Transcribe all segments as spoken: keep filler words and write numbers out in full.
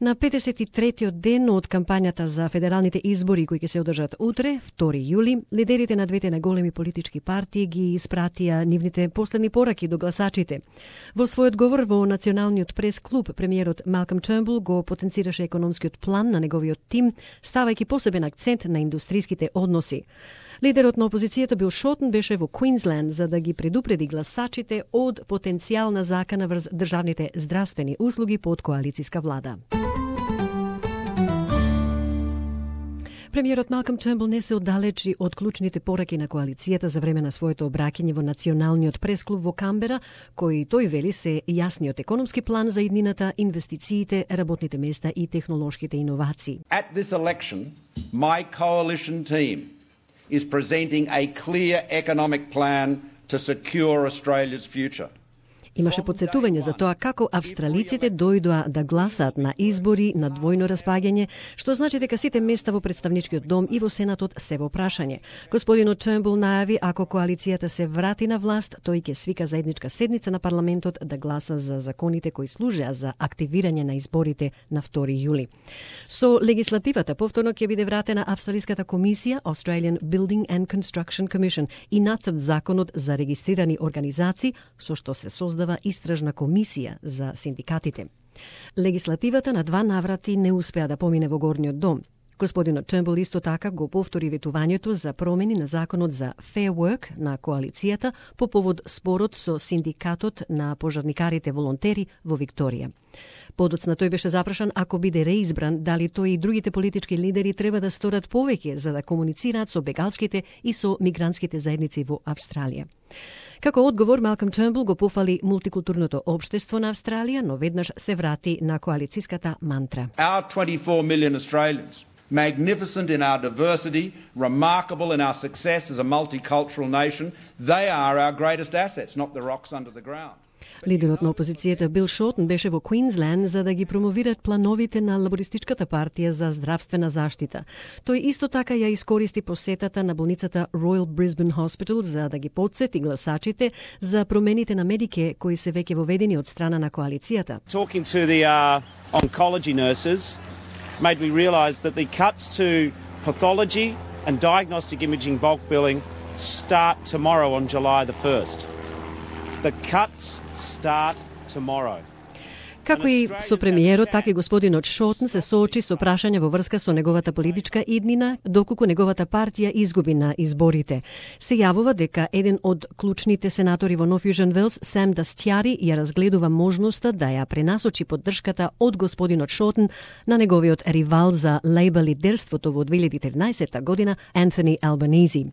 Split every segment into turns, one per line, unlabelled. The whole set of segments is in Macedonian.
На петдесет и третиот ден од кампањата за федералните избори кои ќе се одржат утре, втори јули, лидерите на двете најголеми политички партии ги испратија нивните последни пораки до гласачите. Во својот говор во Националниот прес-клуб, премиерот Малком Тернбул го потенцираше економскиот план на неговиот тим, ставајќи посебен акцент на индустриските односи. Лидерот на опозицијата Бил Шортен беше во Квинсленд за да ги предупреди гласачите од потенцијална закана врз државните здравствени услуги под коалициска влада. Премиерот Малком Тернбул не се оддалечи од клучните пораки на коалицијата за време на своето обраќање во Националниот пресклуб во Камбера, кои тој вели се јасниот економски план за иднината, инвестициите, работните места и технолошките иновации.
At this election, my coalition team is presenting a clear economic plan to secure Australia's future.
Имаше подсетување за тоа како австралиците дојдоа да гласаат на избори на двојно распаѓање, што значи дека сите места во представничкиот дом и во Сенатот се во прашање. Господинот Тернбул најави ако коалицијата се врати на власт, тој ќе свика заедничка седница на парламентот да гласа за законите кои служеа за активирање на изборите на втори јули. Со легислативата повторно ќе биде вратена Австралиската комисија Australian Building and Construction Commission и нацрт законот за регистрирани организации со што се создава истражна комисија за синдикатите. Легислативата на два наврати не успеа да помине во горниот дом. Господинот Тернбул исто така го повтори ветувањето за промени на законот за Fair Work на коалицијата по повод спорот со синдикатот на пожарникарите волонтери во Викторија. Подоцна тој беше запрашан ако биде реизбран дали тој и другите политички лидери треба да сторат повеќе за да комуницираат со бегалските и со мигрантските заедници во Австралија. Како одговор, Малком Тернбул го пофали мултикултурното општество на Австралија, но веднаш се врати на коалициската мантра.
Our twenty-four million Australians, magnificent in our diversity, remarkable in our success as a multicultural nation, they are our greatest assets, not the rocks under the ground.
Лидерот на опозицијата Бил Шортен беше во Квинсленд за да ги промовират плановите на Лабористичката партија за здравствена заштита. Тој исто така ја искористи посетата на болницата Royal Brisbane Hospital за да ги потсети гласачите за промените на Медике кои се веќе воведени од страна на коалицијата.
Talking to the uh, oncology nurses made me realise that the cuts to pathology and diagnostic imaging bulk billing start tomorrow on July the first. The cuts start tomorrow.
Како и со премиерот, така и господинот Шортен се соочи со прашања во врска со неговата политичка иднина, доколку неговата партија изгуби на изборите. Се јавува дека еден од клучните сенатори во Нов Јужен Велс, Сам Дастјари, ја разгледува можноста да ја пренасочи поддршката од господинот Шортен на неговиот ривал за лејбър лидерството во две илјади и тринаесетта година, Антони Албанизи.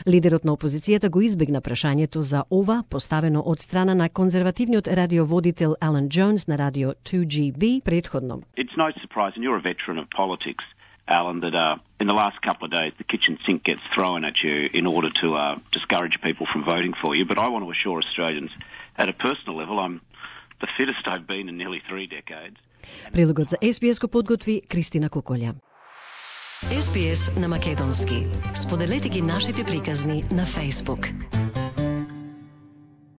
Лидерот на опозицијата го избегна прашањето за ова, поставено од страна на конзервативниот радиоводител Алан Джонс на радио two G B предходно.
It's no surprise, and you're a veteran of politics, Alan, that uh, in the last couple of days the kitchen sink gets thrown at you in order to uh, discourage people from voting for you. But I want to assure Australians, at a personal level, I'm the fittest I've been in nearly three decades.
Прилогот за Ес Би Ес го подготви Кристина Куколја.
Ес Би Ес на македонски. Споделете ги нашите приказни на Facebook.